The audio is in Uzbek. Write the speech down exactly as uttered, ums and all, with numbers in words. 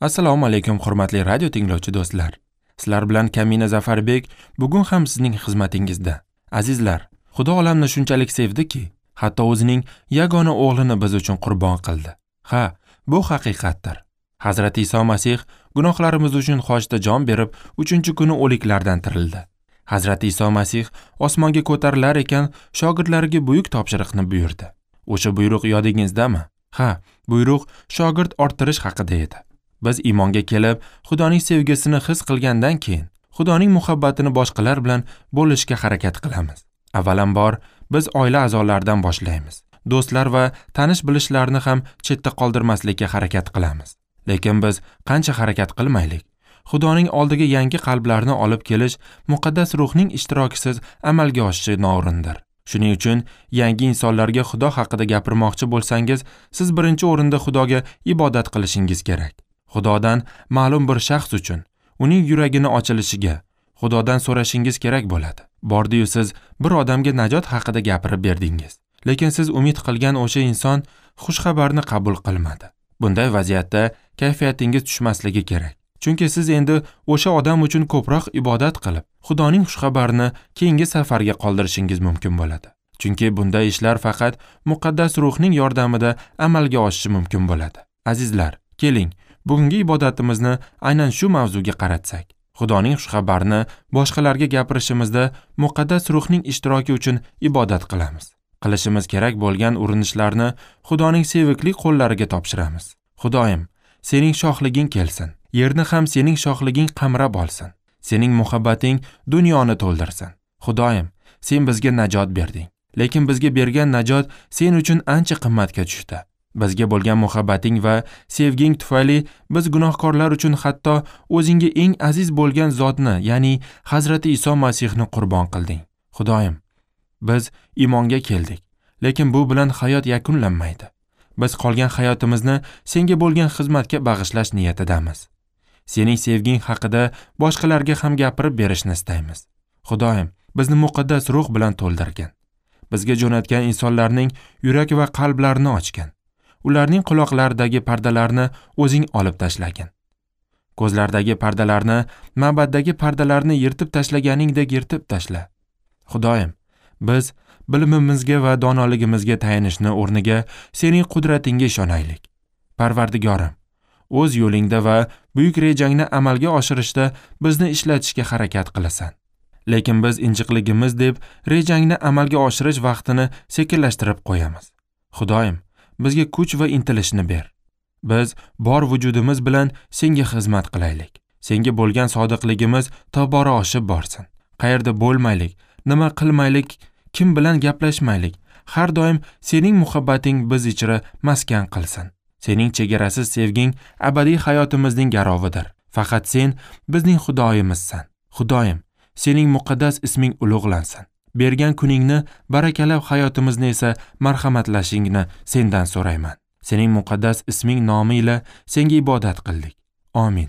Assalomu alaykum hurmatli radio tinglovchi do'stlar. Sizlar bilan Kamina Zafarbek bugun ham sizning xizmatingizda. Azizlar, Xudo olamni shunchalik sevdiki, hatto o'zining yagona o'g'lini biz uchun qurbon qildi. Ha, bu haqiqatdir. Hazrati Iso Masih gunohlarimiz uchun xochda jon berib, uchinchi kuni o'liklardan tirildi. Hazrati Iso Masih osmonga ko'tarilar ekan, shogirdlariga buyuk topshiriqni buyurdi. O'sha buyruq yodingizdami? Ha, buyruq shogird orttirish haqida edi. Biz iymonga kelib, Xudoning sevgisini his qilgandan keyin, Xudoning muhabbatini boshqalar bilan bo'lishga harakat qilamiz. Avvalambor, biz oila a'zolaridan boshlaymiz. Do'stlar va tanish-bilishlarni ham chetda qoldirmaslikka harakat qilamiz. Lekin biz qancha harakat qilmaylik, Xudoning oldiga yangi qalblarni olib kelish muqaddas ruhning ishtirokisiz amalga oshishi noo'rindir. Shuning uchun yangi insonlarga Xudo haqida gapirmoqchi bo'lsangiz, siz birinchi o'rinda Xudoga ibodat qilishingiz kerak. Xudodan ma'lum bir shaxs uchun uning yuragini ochilishiga Xudodan so'rashingiz kerak bo'ladi. Bordi-yu siz bir odamga najot haqida gapirib berdingiz, lekin siz umid qilgan o'sha inson xushxabarni qabul qilmadi. Bunday vaziyatda kayfiyatingiz tushmasligi kerak. Chunki siz endi o'sha odam uchun ko'proq ibodat qilib, Xudoning xushxabarini keyingi safarga qoldirishingiz mumkin bo'ladi. Chunki bunday ishlar faqat muqaddas ruhning yordamida amalga oshishi mumkin bo'ladi. Azizlar, keling, bugungi ibodatimizni aynan shu mavzuga qaratsak. Xudoning xushxabarini boshqalarga gapirishimizda muqaddas ruhning ishtiroki uchun ibodat qilamiz. Qilishimiz kerak bo'lgan urinishlarni Xudoning sevikli qo'llariga topshiramiz. Xudoyim, sening shohliging kelsin. Yerni ham sening shohliging qamrab olsin. Sening muhabbating dunyoni to'ldirsin. Xudoyim, sen bizga najot berding. Lekin bizga bergan najot sen uchun ancha qimmatga tushdi. Bizga bo'lgan muhabbating va sevging tufayli biz gunohkorlar uchun hatto o'zingga eng aziz bo'lgan zotni, ya'ni Hazrati Iso Masihni qurbon qilding. Xudoyim, biz iymonga keldik, lekin bu bilan hayot yakunlanmaydi. Biz qolgan hayotimizni senga bo'lgan xizmatga bag'ishlash niyatidamiz. Sening sevging haqida boshqalarga ham gapirib berishni istaymiz. Xudoyim, bizni muqaddas ruh bilan to'ldirgin. Bizga jo'natgan insonlarning yurak va qalblarini ochgin. Ularning quloqlaridagi pardalarni o'zing olib tashlagin. Ko'zlardagi pardalarni, ma'baddagi pardalarni yirtib tashlaganingdek yirtib tashla. Xudoyim, biz bilimimizga va donoligimizga tayanishni o'rniga sening qudratingga ishonaylik. Parvardigorim, o'z yo'lingda va buyuk rejangni amalga oshirishda bizni ishlatishga harakat qilasan. Lekin biz injiqligimiz deb rejangni amalga oshirish vaqtini sekinlashtirib qo'yamiz. Xudoyim, bizga kuch va intilishni ber. Biz bor vujudimiz bilan senga xizmat qilaylik. Senga bo'lgan sodiqligimiz tobora oshib borsin. Qayerda bo'lmaylik, nima qilmaylik, kim bilan gaplashmaylik, har doim sening muhabbating biz ichra maskan qilsin. Sening chegarasiz sevging abadiy hayotimizning garovidir. Faqat sen bizning Xudoyimizsan. Xudoyim, sening muqaddas isming ulug'lansin. Bergan kuningni barakalab hayotimizni esa marhamatlashingni sendan so'rayman. Sening muqaddas isming nomi ila senga ibodat qildik. Amin.